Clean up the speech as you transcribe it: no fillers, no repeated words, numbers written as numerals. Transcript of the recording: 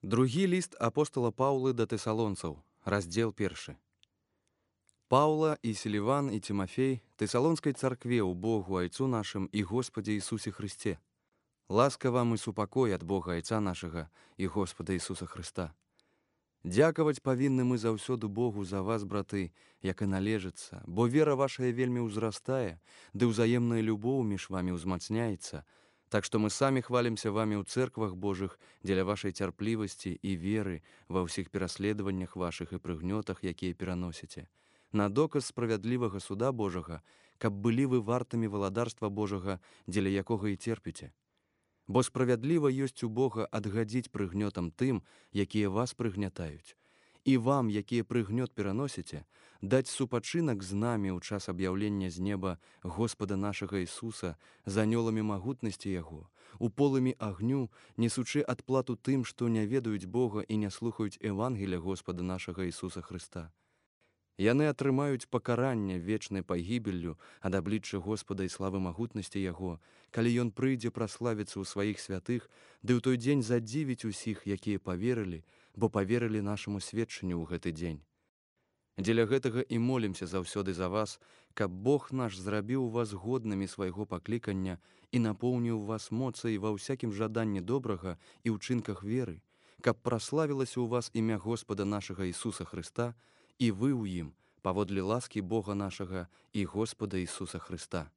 Другі ліст апостала Паўлы да тэсалонцаў, раздзел 1. Паўла і Селіван і Тимофей тэсалонскай царкве ў Богу Айцу нашым і Господе Ісусе Христе. Ласка вам і супакой ад Бога Айца нашага і Господа Ісуса Христа. Дзякаваць павінны мы заўсёды Богу за вас, браты, як і належыцца, бо вера вашая вельмі ўзрастае, ды ўзаемная любоў між вамі ўзмацняецца, так што мы самі хвалімся вамі ў цэрквах Божых дзеля вашай цярплівасці і веры ва ўсіх пераследаваннях вашых і прыгнётах, якія пераносіце, на доказ справядлівага суда Божага, каб былі вы вартамі валадарства Божага, дзеля якога і церпіце. Бо справядліва ёсць у Бога адгадзіць прыгнётам тым, якія вас прыгнятаюць, і вам, якія прыгнёт пераносіце, даць супачынак з намі ў час аб'яўлення з неба Господа нашага Ісуса з анёламі магутнасці Яго, у полымі агню, несучы адплату тым, што не ведаюць Бога і не слухаюць Евангеля Господа нашага Ісуса Христа. Яны атрымаюць пакаранне вечнай пагібеллю ад аблічча Господа і славы магутнасці Яго, калі Ён прыйдзе праславіцца ў сваіх святых, ды ў той дзень задзівіць усіх, якія паверылі, бо паверылі нашаму сведчанню ў гэты дзень. Дзеля гэтага і молімся заўсёды за вас, каб Бог наш зрабіў вас годнымі свайго паклікання і напоўніў вас моцай ва ўсякім жаданні добрага і ўчынках веры, каб праславілася ў вас імя Господа нашага Ісуса Христа, і вы ў ім, паводле ласкі Бога нашага і Господа Ісуса Христа.